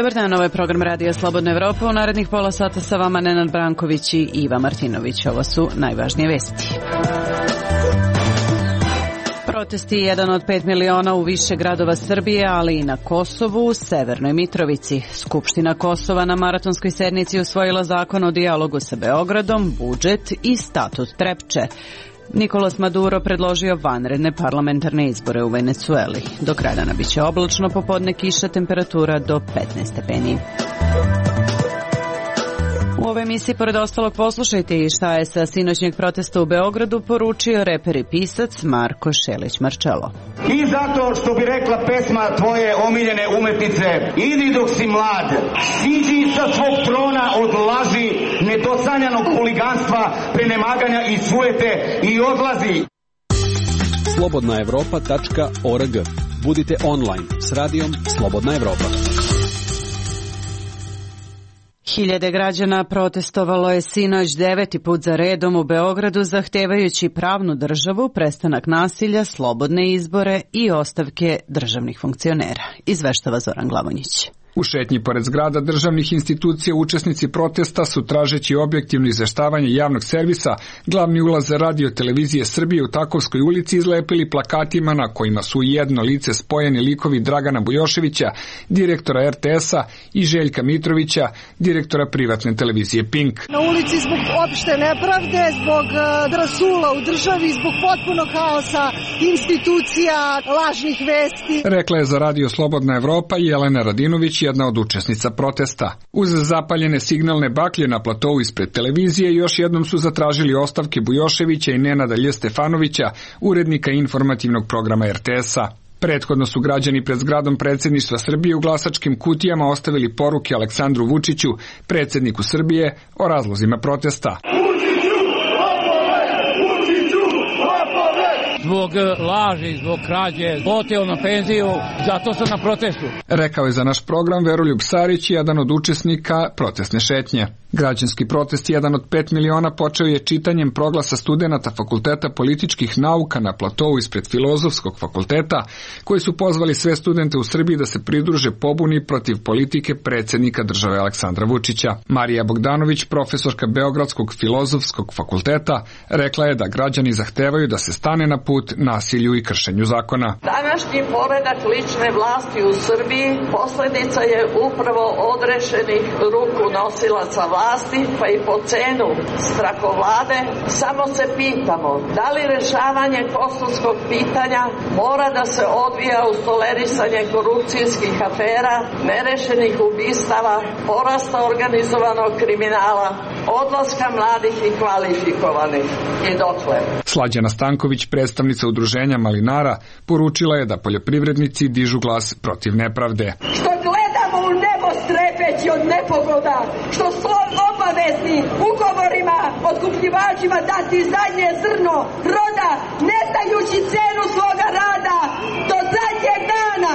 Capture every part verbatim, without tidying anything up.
Dobar dan, ovo je program Radija Slobodna Evropa. U narednih pola sata sa vama Nenad Branković i Iva Martinović. Ovo su najvažnije vesti. Protesti jedan od pet miliona u više gradova Srbije, ali i na Kosovu, u Severnoj Mitrovici. Skupština Kosova na maratonskoj sednici usvojila zakon o dijalogu sa Beogradom, budžet i statut Trepče. Nicolas Maduro predložio vanredne parlamentarne izbore u Venecueli. Do kraja dana biće oblačno, popodne kiša, temperatura do petnaest stepeni. U ovoj emisiji, pored ostalog, poslušajte i šta je sa sinoćnjeg protesta u Beogradu poručio reper i pisac Marko Šelić Marčelo. I zato što bi rekla pesma tvoje omiljene umetnice, idi dok si mlad, siđi sa svog trona od laži, nedosanjanog huliganstva, prenemaganja i sujete i odlazi. slobodna evropa tačka org. Budite online s radijom Slobodna Evropa. Hiljade građana protestovalo je sinoć deveti put za redom u Beogradu zahtevajući pravnu državu, prestanak nasilja, slobodne izbore i ostavke državnih funkcionera. Izveštava Zoran Glavonjić. U šetnji pored zgrada državnih institucija učesnici protesta su, tražeći objektivno izveštavanje javnog servisa, glavni ulaz Radio Televizije Srbije u Takovskoj ulici izlepili plakatima na kojima su jedno lice spojeni likovi Dragana Bujoševića, direktora er te es-a, i Željka Mitrovića, direktora privatne televizije Pink. Na ulici zbog opšte nepravde, zbog rasula u državi, zbog potpunog haosa institucija, lažnih vesti. Rekla je za Radio Slobodna Evropa Jelena Radinović, jedna od učesnica protesta. Uz zapaljene signalne baklje na platovu ispred televizije još jednom su zatražili ostavke Bujoševića i Nenada Lj. Stefanovića, urednika informativnog programa er te es-a. Prethodno su građani pred zgradom predsjedništva Srbije u glasačkim kutijama ostavili poruke Aleksandru Vučiću, predsjedniku Srbije, o razlozima protesta. Zbog laži, zbog krađe, oteo na penziju, zato sam na protestu. Rekao je za naš program Veroljub Sarić, jedan od učesnika protestne šetnje. Građanski protest jedan od pet miliona počeo je čitanjem proglasa studenata Fakulteta političkih nauka na platovu ispred Filozofskog fakulteta, koji su pozvali sve studente u Srbiji da se pridruže pobuni protiv politike predsjednika države Aleksandra Vučića. Marija Bogdanović, profesorka Beogradskog Filozofskog fakulteta, rekla je da građani zahtevaju da se stane na put nasilju i kršenju zakona. Današnji poredak lične vlasti u Srbiji posljedica je upravo odrešenih ruku nosilaca vlasti, pa i po cenu strahovlade. Samo se pitamo, da li rešavanje kosovskog pitanja mora da se odvija uz tolerisanje korupcijskih afera, nerešenih ubistava, porasta organizovanog kriminala, odlaska mladih i kvalifikovanih i dokle. Slađana Stanković, predstavnica udruženja malinara, poručila je da poljoprivrednici dižu glas protiv nepravde. Što gledamo u nebo strepeći od nepogoda, što su obavezni ugovorima otkupljivačima dati zadnje zrno roda, ne znajući cenu svoga rada do zadnjeg dana.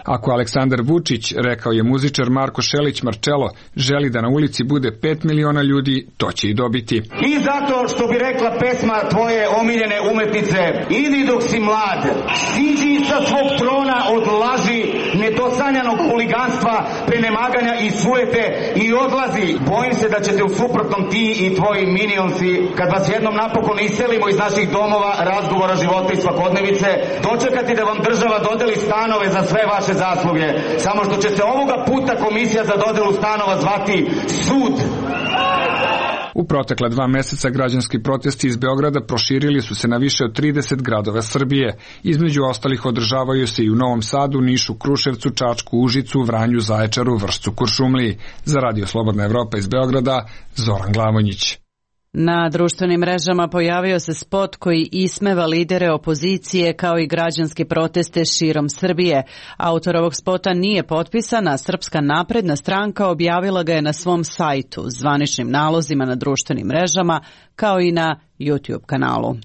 Ako Aleksandar Vučić, rekao je muzičar Marko Šelić Marčelo, želi da na ulici bude pet miliona ljudi, to će i dobiti. I zato što bi rekla pesma tvoje omiljene umetnice, idi dok si mlad, siđi sa svog trona od laži, nedosanjanog huliganstva, prenemaganja i sujete i odlazi. Bojim se da ćete u suprotnom ti i tvoji minionsi, kad vas jednom napokon iselimo iz naših domova, razgovora, života i svakodnevice, dočekati da vam država dodeli stanove za sve vaše zasluge. Samo što će se ovoga puta komisija za dodelu stanova zvati sud. U protekla dva meseca građanski protesti iz Beograda proširili su se na više od trideset gradova Srbije. Između ostalih održavaju se i u Novom Sadu, Nišu, Kruševcu, Čačku, Užicu, Vranju, Zaječaru, Vršcu, Kuršumliji. Za Radio Slobodna Evropa iz Beograda, Zoran Glavonjić. Na društvenim mrežama pojavio se spot koji ismeva lidere opozicije kao i građanske proteste širom Srbije. Autor ovog spota nije potpisan, a Srpska napredna stranka objavila ga je na svom sajtu, zvaničnim nalozima na društvenim mrežama, kao i na YouTube kanalu.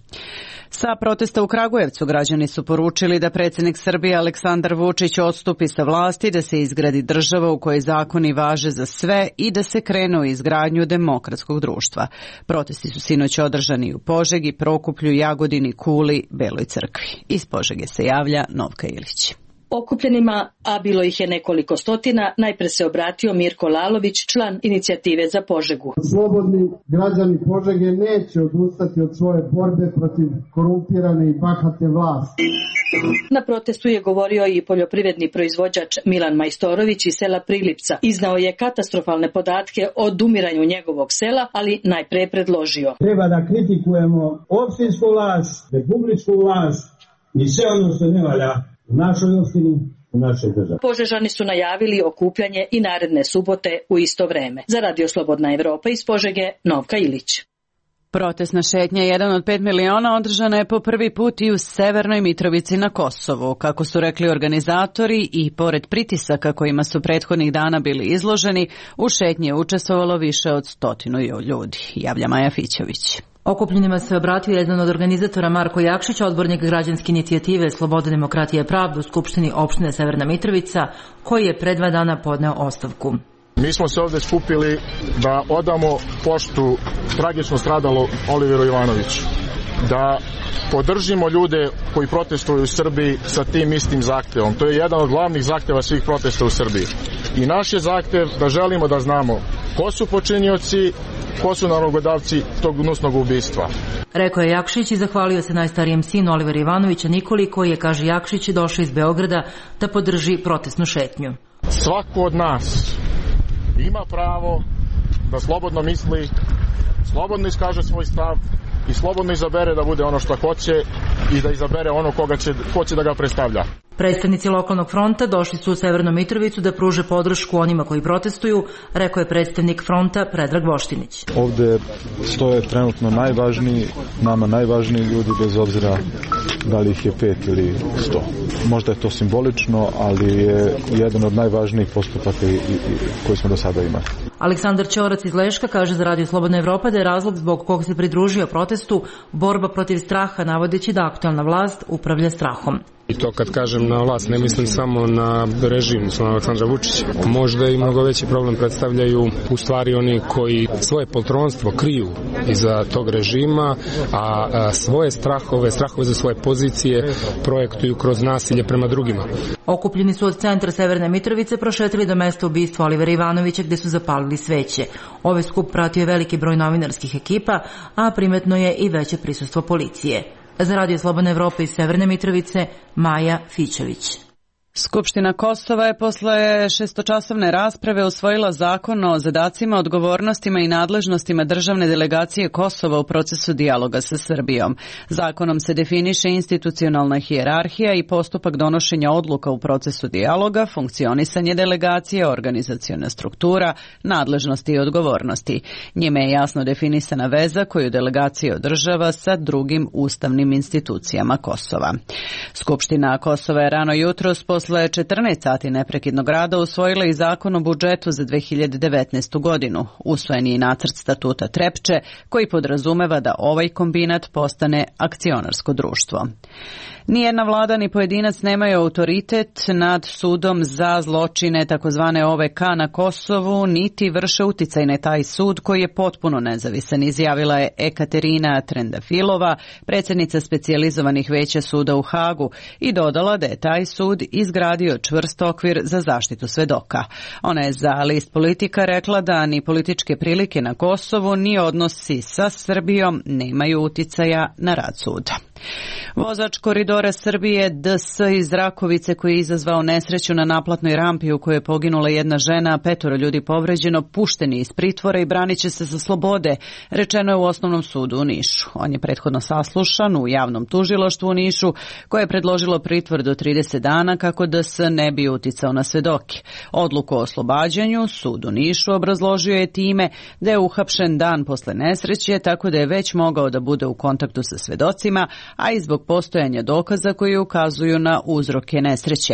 Sa protesta u Kragujevcu građani su poručili da predsjednik Srbije Aleksandar Vučić odstupi sa vlasti, da se izgradi država u kojoj zakoni važe za sve i da se krene u izgradnju demokratskog društva. Protesti su sinoć održani u Požegi, Prokuplju, Jagodini, Kuli, Beloj Crkvi. Iz Požege se javlja Novka Ilić. Okupljenima, a bilo ih je nekoliko stotina, najpre se obratio Mirko Lalović, član inicijative za Požegu. Slobodni građani Požege neće odustati od svoje borbe protiv korumpirane i bahate vlasti. Na protestu je govorio i poljoprivredni proizvođač Milan Majstorović iz sela Prilipca. Iznao je katastrofalne podatke o odumiranju njegovog sela, ali najpre je predložio. Treba da kritikujemo opštinsku vlast, republičku vlast i sve ono što ne valja u našoj opštini, u našoj državi. Požežani su najavili okupljanje i naredne subote u isto vreme. Za Radio Slobodna Evropa iz Požege, Novka Ilić. Protestna šetnja jedan od pet miliona održana je po prvi put i u Severnoj Mitrovici na Kosovu. Kako su rekli organizatori, i pored pritisaka kojima su prethodnih dana bili izloženi, u šetnji je učestvovalo više od stotinu ljudi. Javlja Maja Fićović. Okupljenima se obratio jedan od organizatora Marko Jakšić, odbornik građanske inicijative Sloboda, demokratija i pravda u Skupštini opštine Severna Mitrovica, koji je pre dva dana podneo ostavku. Mi smo se ovdje skupili da odamo poštu tragično stradalo Oliveru Ivanoviću, da podržimo ljude koji protestuju u Srbiji sa tim istim zahtevom. To je jedan od glavnih zahteva svih protesta u Srbiji. I naš je zahtev da želimo da znamo ko su počinioci, ko su nalogodavci tog gnusnog ubistva. Rekao je Jakšić i zahvalio se najstarijem sinu Olivera Ivanovića Nikoli, koji je, kaže Jakšić, došao iz Beograda da podrži protestnu šetnju. Svako od nas ima pravo da slobodno misli, slobodno iskaže svoj stav i slobodno izabere da bude ono što hoće i da izabere ono koga će, hoće da ga predstavlja. Predstavnici lokalnog fronta došli su u Severnu Mitrovicu da pruže podršku onima koji protestuju, rekao je predstavnik fronta Predrag Voštinić. Ovde stoje trenutno najvažniji, nama najvažniji ljudi, bez obzira da li ih je pet ili sto. Možda je to simbolično, ali je jedan od najvažnijih postupaka i, i, koji smo do sada imali. Aleksandar Ćorac iz Leška kaže za Radio Slobodna Evropa da je razlog zbog kog se pridružio protestu borba protiv straha, navodeći da aktualna vlast upravlja strahom. I to kad kažem na vlast, ne mislim samo na režim, na Aleksandra Vučića. Možda i mnogo veći problem predstavljaju u stvari oni koji svoje poltronstvo kriju iza tog režima, a svoje strahove, strahove za svoje pozicije projektuju kroz nasilje prema drugima. Okupljeni su od centra Severne Mitrovice prošetili do mesta ubistva Olivera Ivanovića, gde su zapalili sveće. Ovaj skup pratio je veliki broj novinarskih ekipa, a primetno je i veće prisustvo policije. Za Radio Slobodna Evropa iz Severne Mitrovice, Maja Fićović. Skupština Kosova je posle šestočasovne rasprave usvojila zakon o zadacima, odgovornostima i nadležnostima državne delegacije Kosova u procesu dijaloga sa Srbijom. Zakonom se definiše institucionalna hijerarhija i postupak donošenja odluka u procesu dijaloga, funkcionisanje delegacije, organizaciona struktura, nadležnosti i odgovornosti. Njime je jasno definisana veza koju delegacija održava sa drugim ustavnim institucijama Kosova. Skupština Kosova je rano jutros posle četrnaest sati neprekidnog rada usvojila i zakon o budžetu za dve hiljade devetnaestu. godinu. Usvojen je i nacrt statuta Trepče, koji podrazumeva da ovaj kombinat postane akcionarsko društvo. Nijedna vlada ni pojedinac nemaju autoritet nad sudom za zločine takozvane O V K na Kosovu, niti vrše uticaj na taj sud koji je potpuno nezavisan, izjavila je Ekaterina Trendafilova, predsjednica specijalizovanih veća suda u Hagu, i dodala da je taj sud izgradio čvrst okvir za zaštitu svedoka. Ona je za list Politika rekla da ni političke prilike na Kosovu ni odnosi sa Srbijom nemaju uticaja na rad suda. Vozač koridora Srbije D S iz Rakovice, koji je izazvao nesreću na naplatnoj rampi u kojoj je poginula jedna žena, a petoro ljudi povređeno, pušten je iz pritvora i branit će se sa slobode, rečeno je u Osnovnom sudu u Nišu. On je prethodno saslušan u javnom tužilaštvu u Nišu, koje je predložilo pritvor do trideset dana kako D S ne bi uticao na svedoke. Odluku o oslobađanju sud u Nišu obrazložio je time da je uhapšen dan posle nesreće, tako da je već mogao da bude u kontaktu sa svedocima, a i zbog postojanja dokaza koji ukazuju na uzroke nesreće.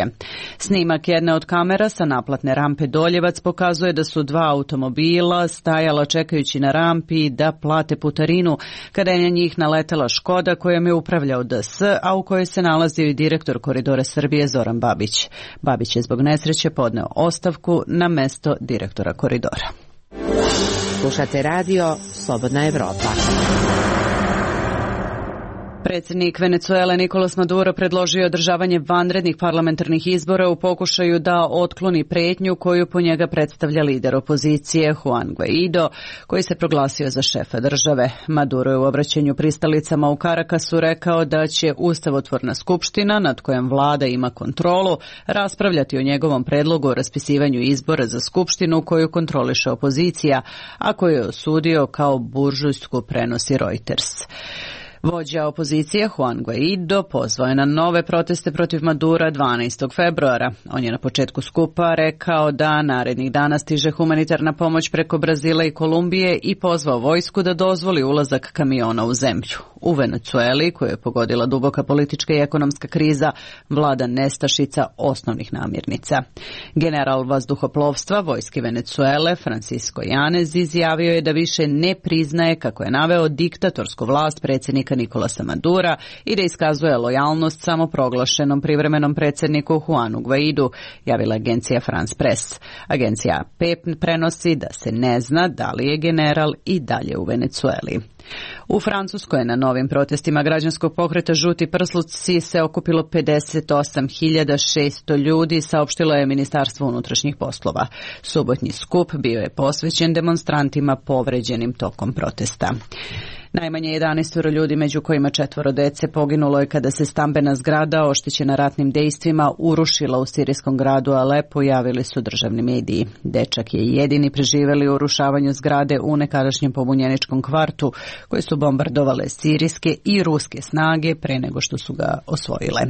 Snimak jedne od kamera sa naplatne rampe Doljevac pokazuje da su dva automobila stajala čekajući na rampi da plate putarinu, kada je na njih naletela Škoda kojom je upravljao D S, a u kojoj se nalazio i direktor Koridora Srbije Zoran Babić. Babić je zbog nesreće podneo ostavku na mesto direktora Koridora. Slušate radio Slobodna Evropa. Predsjednik Venecuele Nicolas Maduro predložio je održavanje vanrednih parlamentarnih izbora u pokušaju da otkloni pretnju koju po njega predstavlja lider opozicije Juan Guaido, koji se proglasio za šefa države. Maduro je u obraćanju pristalicama u Carakasu rekao da će Ustavotvorna skupština, nad kojom vlada ima kontrolu, raspravljati o njegovom predlogu o raspisivanju izbora za skupštinu koju kontroliše opozicija, a koju je osudio kao buržujsku, prenosi Reuters. Vođa opozicije Juan Guaido pozvao je na nove proteste protiv Madura dvanaestog februara. On je na početku skupa rekao da narednih dana stiže humanitarna pomoć preko Brazila i Kolumbije i pozvao vojsku da dozvoli ulazak kamiona u zemlju. U Venecueli, koju je pogodila duboka politička i ekonomska kriza, vlada nestašica osnovnih namirnica. General vazduhoplovstva vojske Venecuele Francisco Yanez izjavio je da više ne priznaje, kako je naveo, diktatorsku vlast predsjednika Nicolasa Madura i da iskazuje lojalnost samoproglašenom privremenom predsjedniku Juanu Guaidu, javila agencija France Press. Agencija A P prenosi da se ne zna da li je general i dalje u Venecueli. U Francuskoj na novim protestima građanskog pokreta Žuti prsluci se okupilo pedeset osam hiljada šesto ljudi, saopštilo je Ministarstvo unutrašnjih poslova. Subotnji skup bio je posvećen demonstrantima povređenim tokom protesta. Najmanje jedanaest ljudi, među kojima četvoro dece, poginulo je kada se stambena zgrada oštećena ratnim dejstvima urušila u sirijskom gradu Alepo, javili su državni mediji. Dečak je jedini preživeli u urušavanju zgrade u nekadašnjem pobunjeničkom kvartu, koje su bombardovale sirijske i ruske snage pre nego što su ga osvojile.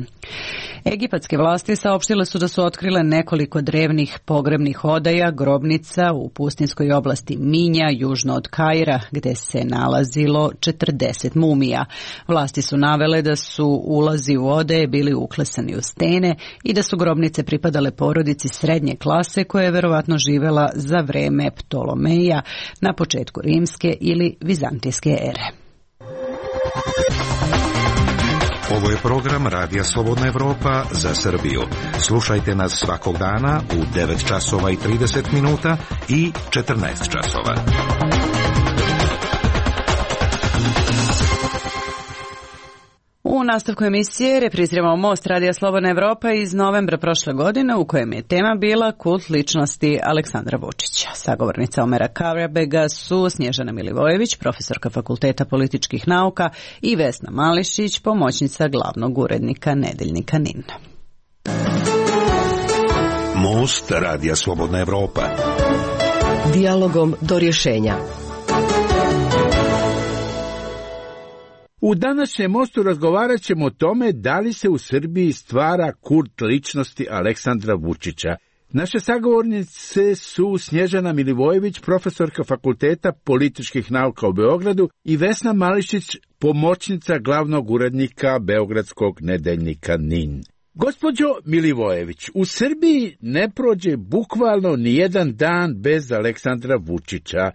Egipatske vlasti saopštile su da su otkrile nekoliko drevnih pogrebnih odaja, grobnica u pustinskoj oblasti Minja, južno od Kaira, gde se nalazilo četrdeset mumija. Vlasti su navele da su ulazi u odaje bili uklesani u stene i da su grobnice pripadale porodici srednje klase koja je verovatno živela za vreme Ptolomeja na početku rimske ili vizantijske ere. Ovo je program Radija Slobodna Evropa za Srbiju. Slušajte nas svakog dana u devet časova i trideset minuta i četrnaest časova. U nastavku emisije repriziramo Most Radija Slobodna Evropa iz novembra prošle godine, u kojem je tema bila kult ličnosti Aleksandra Vučića. Sagovornica Omera Karabega su Snježana Milivojević, profesorka Fakulteta političkih nauka, i Vesna Mališić, pomoćnica glavnog urednika nedeljnika N I N. Most Radija Slobodna Evropa. Dijalogom do rješenja. U današnjem Mostu razgovarat ćemo o tome da li se u Srbiji stvara kult ličnosti Aleksandra Vučića. Naše sagovornice su Snježana Milivojević, profesorka Fakulteta političkih nauka u Beogradu, i Vesna Mališić, pomoćnica glavnog urednika beogradskog nedeljnika N I N. Gospođo Milivojević, u Srbiji ne prođe bukvalno ni jedan dan bez Aleksandra Vučića.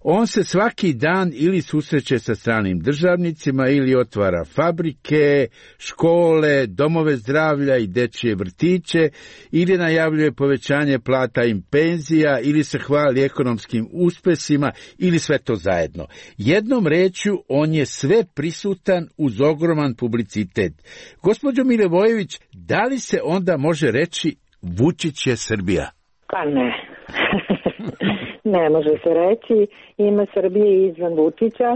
On se svaki dan ili susreće sa stranim državnicima ili otvara fabrike, škole, domove zdravlja i dečje vrtiće, ili najavljuje povećanje plata i penzija, ili se hvali ekonomskim uspesima, ili sve to zajedno. Jednom rečju, on je sve prisutan uz ogroman publicitet. Gospođo Milivojević, da li se onda može reći Vučić je Srbija? Pa ne. Ne može se reći, ima Srbije izvan Vučića,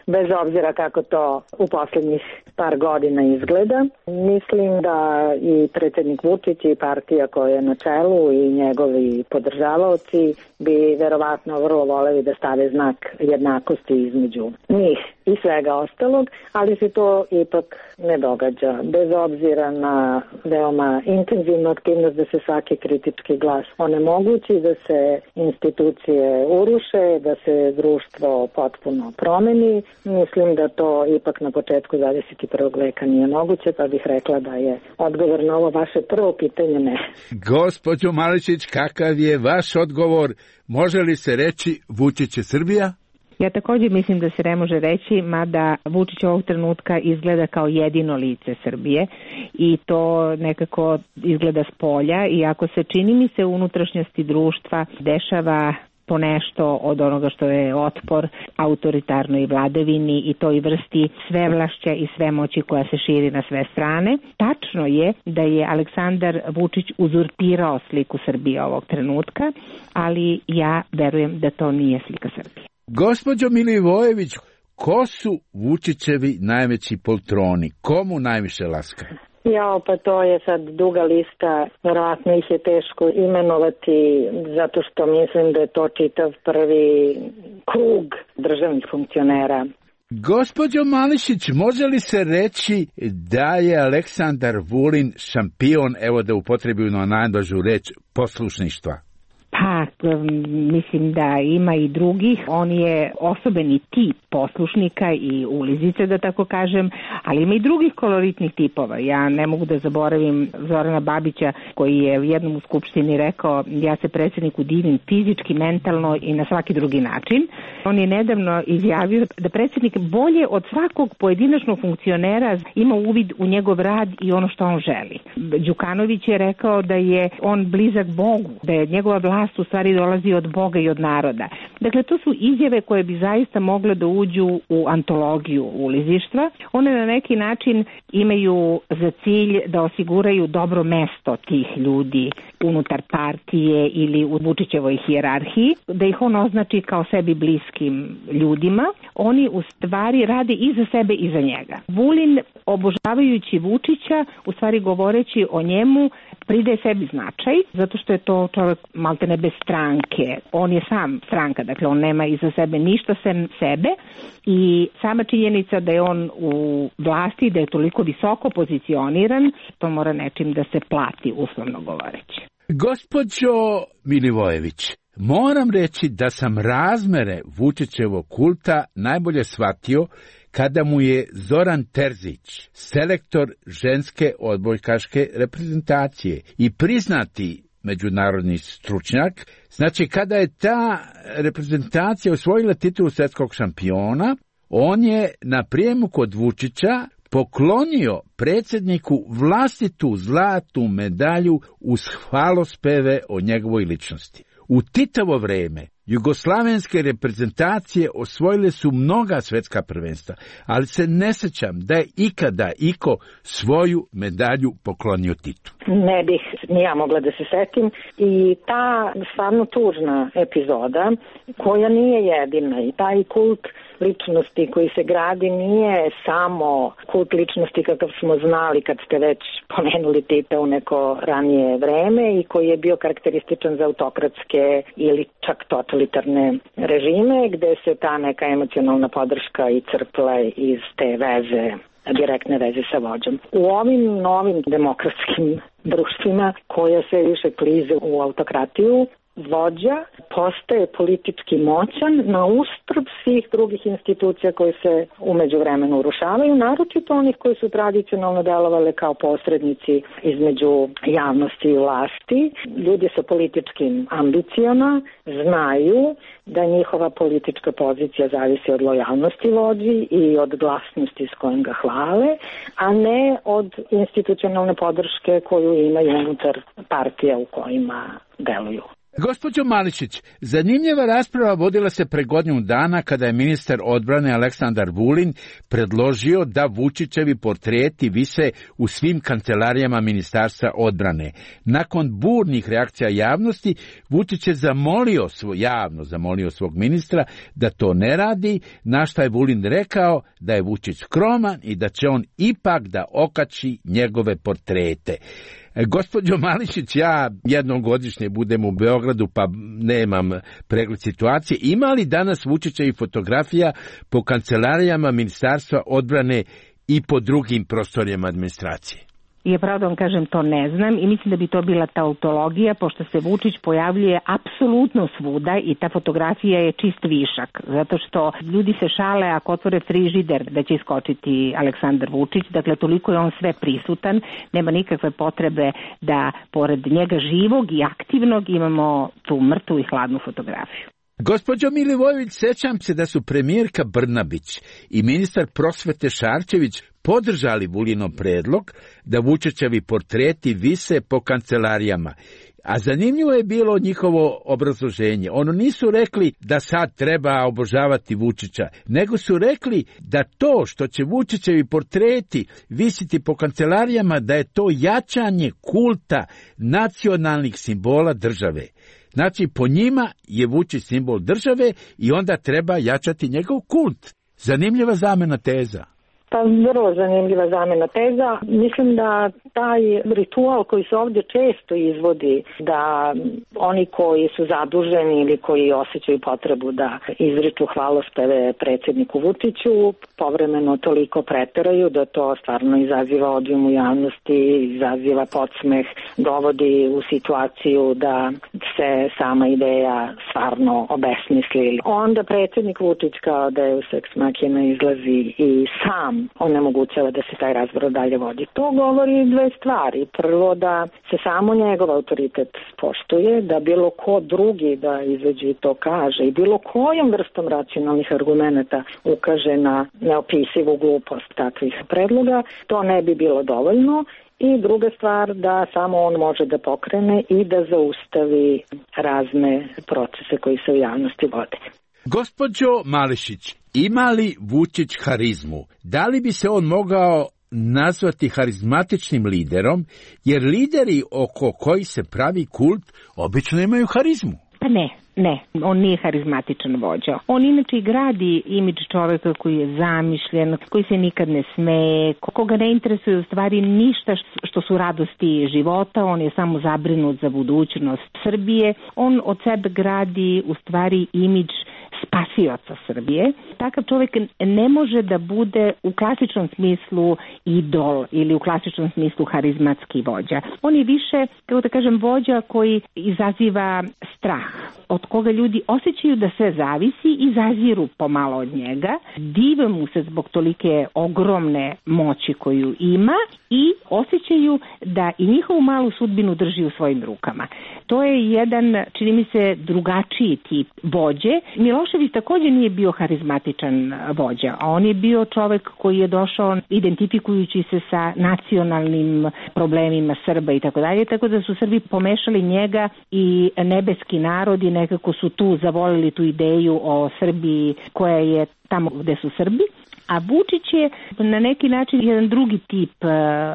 bez obzira kako to u posljednjih par godina izgleda. Mislim da i predsjednik Vučić i partija koja je na čelu i njegovi podržavaoci bi verovatno vrlo voleli da stave znak jednakosti između njih i svega ostalog, ali se to ipak ne događa. Bez obzira na veoma intenzivnu aktivnost da se svaki kritički glas onemogući, da se institucije uruše, da se društvo potpuno promeni. Mislim da to ipak na početku dvadeset prvog veka nije moguće, pa bih rekla da je odgovor na ovo vaše prvo pitanje ne. Gospođo Mališić, kakav je vaš odgovor? Može li se reći Vučić je Srbija? Ja također mislim da se ne može reći, mada Vučić ovog trenutka izgleda kao jedino lice Srbije i to nekako izgleda s polja, i ako se čini mi se u unutrašnjosti društva dešava ponešto od onoga što je otpor autoritarnoj vladavini i toj vrsti svevlašća i svemoći koja se širi na sve strane. Tačno je da je Aleksandar Vučić uzurpirao sliku Srbije ovog trenutka, ali ja verujem da to nije slika Srbije. Gospođo Milivojević, ko su Vučićevi najveći poltroni? Komu najviše laska? Ja, pa to je sad duga lista, verovatno ih je teško imenovati, zato što mislim da je to čitav prvi krug državnih funkcionera. Gospođo Mališić, može li se reći da je Aleksandar Vulin šampion, evo da upotrebimo najblažu reč, poslušništva? Pa, mislim da ima i drugih. On je osobeni tip poslušnika i ulizice, da tako kažem, ali ima i drugih koloritnih tipova. Ja ne mogu da zaboravim Zorana Babića, koji je u jednom u skupštini rekao: ja se predsjedniku divim fizički, mentalno i na svaki drugi način. On je nedavno izjavio da predsjednik bolje od svakog pojedinačnog funkcionera ima uvid u njegov rad i ono što on želi. Đukanović je rekao da je on blizak Bogu, da je njegova vlast u stvari dolazi od Boga i od naroda. Dakle, to su izjave koje bi zaista mogle da uđu u antologiju ulizištva. One na neki način imaju za cilj da osiguraju dobro mesto tih ljudi unutar partije ili u Vučićevoj hijerarhiji, da ih on označi kao sebi bliskim ljudima. Oni u stvari rade i za sebe i za njega. Vulin, obožavajući Vučića, u stvari govoreći o njemu, pridaje sebi značaj, zato što je to čovjek maltene bez stranke. On je sam stranka, dakle on nema iza sebe ništa sem sebe i sama činjenica da je on u vlasti, da je toliko visoko pozicioniran, to mora nečim da se plati, uslovno govoreći. Gospođo Milivojević, moram reći da sam razmere Vučićevog kulta najbolje shvatio kada mu je Zoran Terzić, selektor ženske odbojkaške reprezentacije i priznati međunarodni stručnjak, znači kada je ta reprezentacija osvojila titulu svjetskog šampiona, on je na prijemu kod Vučića poklonio predsjedniku vlastitu zlatnu medalju uz hvalospeve o njegovoj ličnosti. U Titovo vrijeme jugoslavenske reprezentacije osvojile su mnoga svjetska prvenstva, ali se ne sjećam da je ikada iko svoju medalju poklonio Titu. Ne bih ni ja mogla da se setim i ta stvarno tužna epizoda koja nije jedina i taj kult ličnosti koji se gradi nije samo kult ličnosti kakav smo znali kad ste već pomenuli Tita u neko ranije vreme i koji je bio karakterističan za autokratske ili čak totalitarne režime gde se ta neka emocionalna podrška i crpla iz te veze, direktne veze sa vođom. U ovim novim demokratskim društvima koja se više klize u autokratiju, vođa postaje politički moćan na uštrb svih drugih institucija koje se umeđu vremenu urušavaju, naročito onih koji su tradicionalno delovali kao posrednici između javnosti i vlasti. Ljudi sa političkim ambicijama znaju da njihova politička pozicija zavisi od lojalnosti vođi i od glasnosti s kojim ga hvale, a ne od institucionalne podrške koju imaju unutar partija u kojima deluju. Gospođo Mališić, zanimljiva rasprava vodila se pre godinu dana kada je ministar odbrane Aleksandar Vulin predložio da Vučićevi portreti vise u svim kancelarijama Ministarstva odbrane. Nakon burnih reakcija javnosti, Vučić je zamolio svoj, javno zamolio svog ministra da to ne radi, na šta je Vulin rekao da je Vučić skroman i da će on ipak da okači njegove portrete. Gospođo Mališić, ja jednom godišnje budem u Beogradu pa nemam pregled situacije. Ima li danas Vučićevih fotografija po kancelarijama Ministarstva odbrane i po drugim prostorijama administracije? Ja pravo da vam kažem, to ne znam i mislim da bi to bila tautologija, pošto se Vučić pojavljuje apsolutno svuda i ta fotografija je čist višak, zato što ljudi se šale ako otvore frižider da će iskočiti Aleksandar Vučić, dakle toliko je on sve prisutan, nema nikakve potrebe da pored njega živog i aktivnog imamo tu mrtvu i hladnu fotografiju. Gospođo Milivojević, sećam se da su premijerka Brnabić i ministar prosvete Šarčević podržali Vulinov predlog da Vučićevi portreti vise po kancelarijama A zanimljivo je bilo njihovo obrazloženje. Ono nisu rekli da sad treba obožavati Vučića, nego su rekli da to što će Vučićevi portreti visiti po kancelarijama, da je to jačanje kulta nacionalnih simbola države. Znači, po njima je Vučić simbol države i onda treba jačati njegov kult. Zanimljiva zamena teza. Pa vrlo zanimljiva zamena teza. Mislim da taj ritual koji se ovdje često izvodi, da oni koji su zaduženi ili koji osjećaju potrebu da izriču hvalospeve predsjedniku Vučiću, povremeno toliko preteraju da to stvarno izaziva odijum u javnosti, izaziva podsmeh, dovodi u situaciju da se sama ideja stvarno obesmisli. Onda predsjednik Vučić kao Deus ex machina izlazi i sam onemogućava da se taj razgovor dalje vodi. To govori dve stvari. Prvo, da se samo njegov autoritet poštuje, da bilo ko drugi da izađe i to kaže i bilo kojom vrstom racionalnih argumenata ukaže na neopisivu glupost takvih predloga, to ne bi bilo dovoljno. I druga stvar, da samo on može da pokrene i da zaustavi razne procese koji se u javnosti vode. Gospođo Mališić, ima li Vučić harizmu? Da li bi se on mogao nazvati harizmatičnim liderom, jer lideri oko koji se pravi kult obično imaju harizmu? Pa ne, ne, on nije harizmatičan vođa. On inače gradi imidž čoveka koji je zamišljen, koji se nikad ne smeje, koga ne interesuje u stvari ništa što su radosti života, on je samo zabrinut za budućnost Srbije. On od sebe gradi u stvari imidž spasioca Srbije. Takav čovjek ne može da bude u klasičnom smislu idol ili u klasičnom smislu harizmatski vođa. On je više, kako da kažem, vođa koji izaziva strah, od koga ljudi osjećaju da sve zavisi i zaziru pomalo od njega, dive mu se zbog tolike ogromne moći koju ima i osjećaju da i njihovu malu sudbinu drži u svojim rukama. To je jedan, čini mi se, drugačiji tip vođe. Milošević također nije bio harizmatičan vođa, a on je bio čovjek koji je došao identifikujući se sa nacionalnim problemima Srba i tako dalje, tako da su Srbi pomešali njega i nebeski narod i nekako su tu zavolili tu ideju o Srbiji koja je tamo gde su Srbi. A Vučić je na neki način jedan drugi tip,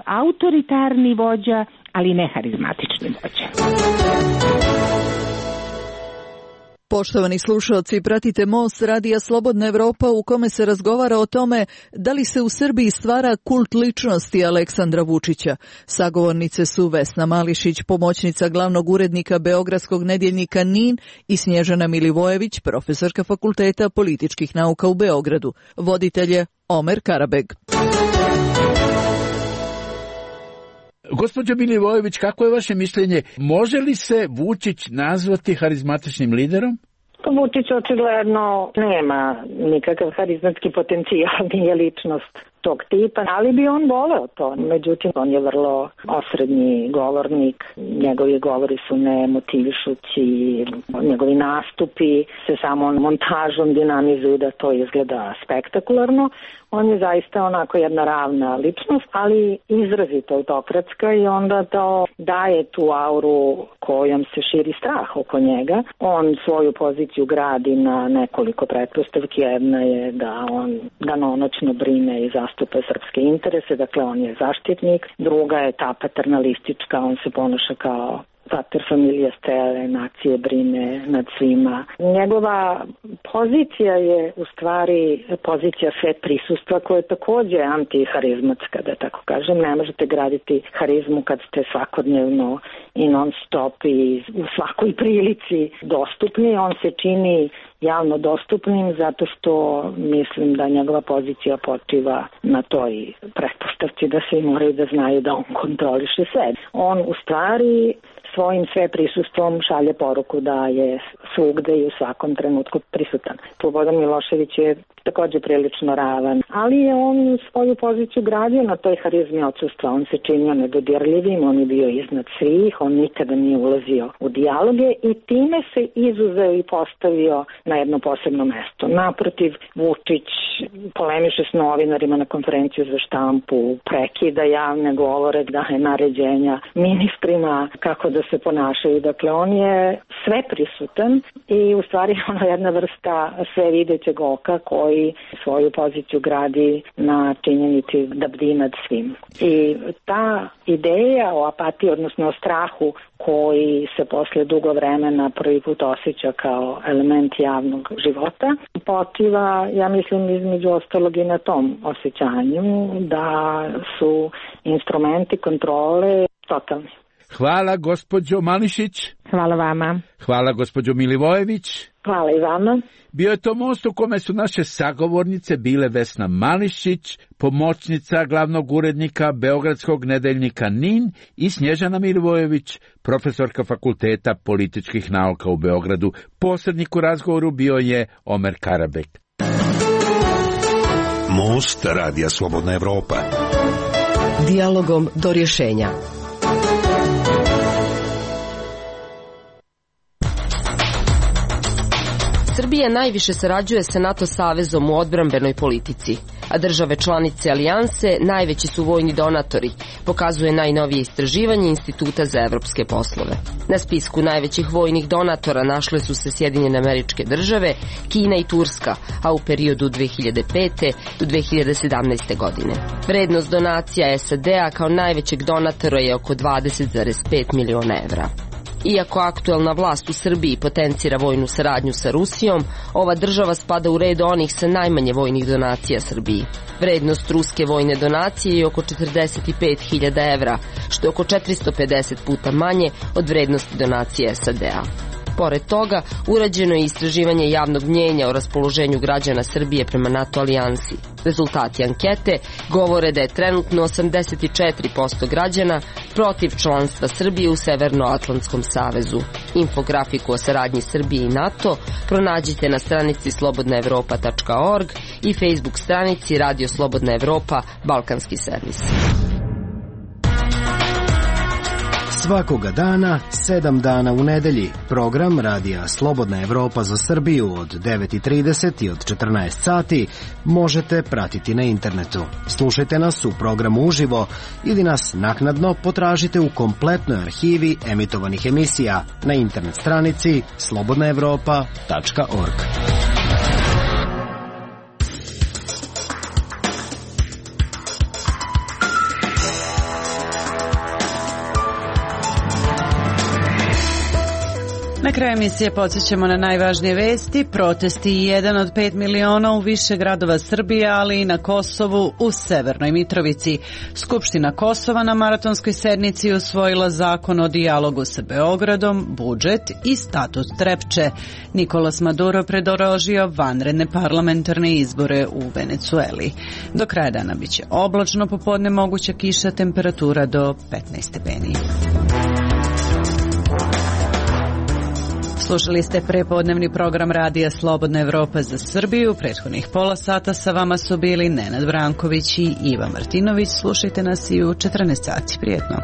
autoritarni vođa, ali ne harizmatični vođa. Poštovani slušalci, pratite Most radija Slobodna Evropa u kome se razgovara o tome da li se u Srbiji stvara kult ličnosti Aleksandra Vučića. Sagovornice su Vesna Mališić, pomoćnica glavnog urednika beogradskog nedjeljnika N I N i Snježana Milivojević, profesorka Fakulteta političkih nauka u Beogradu. Voditelj je Omer Karabeg. Gospođo Milivojević, kako je vaše mišljenje? Može li se Vučić nazvati harizmatičnim liderom? Vučić očigledno nema nikakav harizmatski potencijal, nije ličnost tog tipa, ali bi on voleo to. Međutim, on je vrlo osrednji govornik, njegovi govori su nemotivišući, njegovi nastupi se samo montažom dinamizuju da to izgleda spektakularno. On je zaista onako jedna ravna ličnost, ali izrazito autokratska i onda to daje tu auru kojom se širi strah oko njega. On svoju poziciju gradi na nekoliko pretpostavki. Jedna je da on danonoćno brine i zastupa srpske interese, dakle on je zaštitnik. Druga je ta paternalistička, on se ponaša kao pater familija cele nacije, brine nad svima. Njegova pozicija je u stvari pozicija sve prisustva koja je također antiharizmatska, da tako kažem. Ne možete graditi harizmu kad ste svakodnevno i non stop i u svakoj prilici dostupni. On se čini javno dostupnim zato što mislim da njegova pozicija počiva na toj pretpostavci da svi moraju da znaju da on kontroliše sve. On u stvari svojim sve prisustvom šalje poruku da je svugde i u svakom trenutku prisutan. Slobodan Milošević je takođe prilično ravan, ali je on svoju poziciju gradio na toj harizmi odsustva. On se činio nedodirljivim, on je bio iznad svih, on nikada nije ulazio u dijaloge i time se izuzeo i postavio na jedno posebno mesto. Naprotiv, Vučić polemiše s novinarima na konferenciju za štampu, prekida javne govore, daje naređenja ministrima kako da se ponašaju. Dakle, on je sve prisutan i u stvari ono jedna vrsta sve videćeg oka koji svoju poziciju gradi na činjenici da bdi nad svim. I ta ideja o apatiji, odnosno o strahu koji se posle dugo vremena prvi put osjeća kao element javnog života, počiva, ja mislim, između ostalog i na tom osjećanju da su instrumenti kontrole totalni. Hvala gospođo Mališić. Hvala vama. Hvala gospođo Milivojević. Hvala i vama. Bio je to most u kome su naše sagovornice bile Vesna Mališić, pomoćnica glavnog urednika Beogradskog nedeljnika Nin, i Snježana Milivojević, profesorka Fakulteta političkih nauka u Beogradu. Posrednik u razgovoru bio je Omer Karabek. Most Radija Slobodna Evropa. Dijalogom do rješenja. Srbija najviše sarađuje sa NATO savezom u odbrambenoj politici, a države članice alijanse najveći su vojni donatori, pokazuje najnovije istraživanje Instituta za evropske poslove. Na spisku najvećih vojnih donatora našle su se Sjedinjene Američke Države, Kina i Turska, a u periodu dve hiljade pete do dve hiljade sedamnaeste. godine. Vrednost donacija es a de a kao najvećeg donatora je oko dvadeset zarez pet miliona evra. Iako aktuelna vlast u Srbiji potencira vojnu saradnju sa Rusijom, ova država spada u red onih sa najmanje vojnih donacija Srbiji. Vrednost ruske vojne donacije je oko četrdeset pet hiljada evra, što je oko četiristo pedeset puta manje od vrednosti donacije es a de a. Pored toga, urađeno je istraživanje javnog mnjenja o raspoloženju građana Srbije prema NATO alijansi. Rezultati ankete govore da je trenutno osamdeset četiri posto građana protiv članstva Srbije u Severnoatlantskom savezu. Infografiku o saradnji Srbije i NATO pronađite na stranici slobodna evropa tačka org i Facebook stranici Radio Slobodna Evropa Balkanski servis. Svakoga dana, sedam dana u nedelji, program Radija Slobodna Evropa za Srbiju od devet i trideset i od četrnaest sati možete pratiti na internetu. Slušajte nas u programu uživo ili nas naknadno potražite u kompletnoj arhivi emitovanih emisija na internet stranici slobodna evropa tačka org. Na kraju emisije podsjećamo na najvažnije vesti. Protesti jedan od pet miliona u više gradova Srbije, ali i na Kosovu u Severnoj Mitrovici. Skupština Kosova na maratonskoj sednici usvojila zakon o dijalogu sa Beogradom, budžet i statut Trepče. Nikolas Maduro predložio vanredne parlamentarne izbore u Venecueli. Do kraja dana biće oblačno, popodne moguća kiša, temperatura do petnaest stepeni. Slušali ste prepodnevni program Radija Slobodna Evropa za Srbiju. Prethodnih pola sata sa vama su bili Nenad Branković i Iva Martinović. Slušajte nas i u četrnaest sati. Prijetno.